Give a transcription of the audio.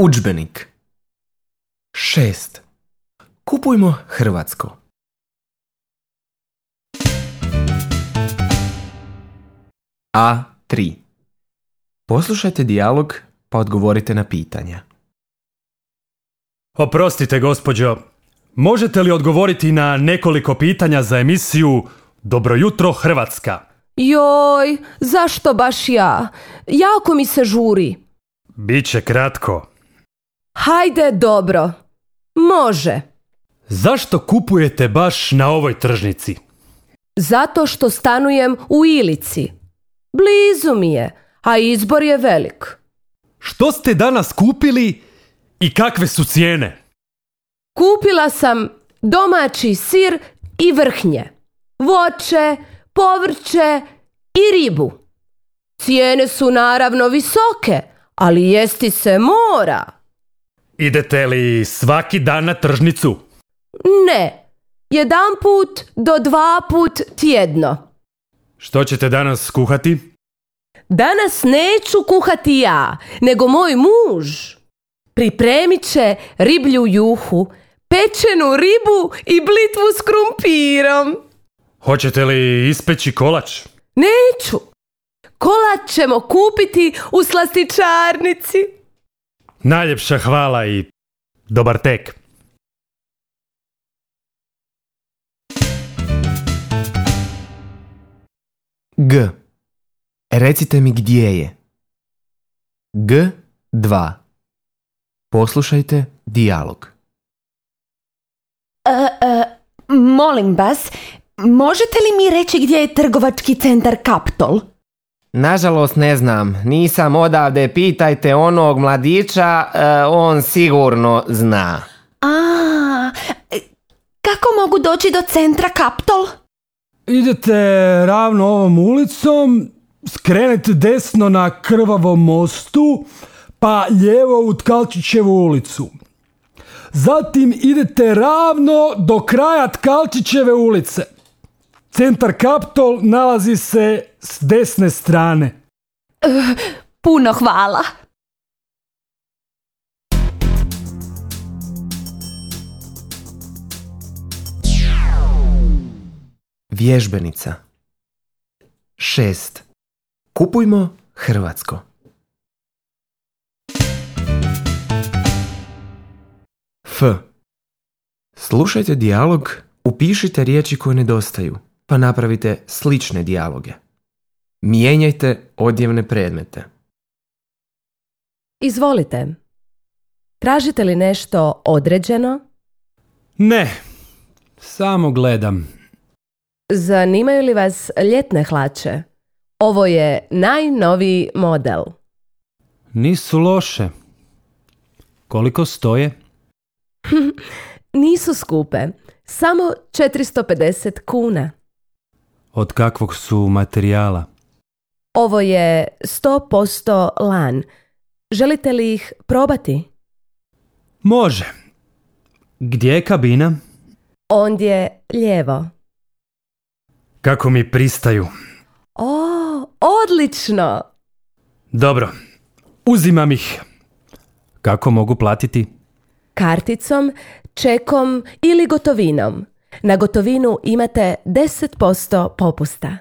Udžbenik. 6. Kupujmo hrvatsko. A3. Poslušajte dijalog pa odgovorite na pitanja. Oprostite, gospođo. Možete li odgovoriti na nekoliko pitanja za emisiju Dobro jutro Hrvatska? Joj, zašto baš ja? Jako mi se žuri. Biće kratko. Hajde, dobro. Može. Zašto kupujete baš na ovoj tržnici? Zato što stanujem u Ilici. Blizu mi je, a izbor je velik. Što ste danas kupili i kakve su cijene? Kupila sam domaći sir i vrhnje, voće, povrće i ribu. Cijene su naravno visoke, ali jesti se mora. Idete li svaki dan na tržnicu? Ne, 1 do 2 put tjedno. Što ćete danas kuhati? Danas neću kuhati ja, nego moj muž. Pripremit će riblju juhu, pečenu ribu i blitvu s krumpirom. Hoćete li ispeći kolač? Neću. Kolač ćemo kupiti u slastičarnici. Najljepša hvala i dobar tek. G. Recite mi gdje je. G2. Poslušajte dijalog. Molim vas, možete li mi reći gdje je trgovački centar Kaptol? Nažalost ne znam, nisam odavde, pitajte onog mladića, on sigurno zna. Kako mogu doći do centra Kaptol? Idete ravno ovom ulicom, skrenete desno na Krvavom mostu, pa lijevo u Tkalčićevu ulicu. Zatim idete ravno do kraja Tkalčićeve ulice. Centar Kaptol nalazi se s desne strane. Puno hvala. Vježbenica. 6. Kupujmo hrvatsko. F. Slušajte dijalog, upišite riječi koje nedostaju, pa napravite slične dijaloge. Mijenjajte odjevne predmete. Izvolite. Tražite li nešto određeno? Ne, samo gledam. Zanimaju li vas ljetne hlače? Ovo je najnoviji model. Nisu loše. Koliko stoje? Nisu skupe. Samo 450 kuna. Od kakvog su materijala? Ovo je 100% lan. Želite li ih probati? Može. Gdje je kabina? Ondje lijevo. Kako mi pristaju. O, odlično! Dobro, uzimam ih. Kako mogu platiti? Karticom, čekom ili gotovinom. Na gotovinu imate 10% popusta.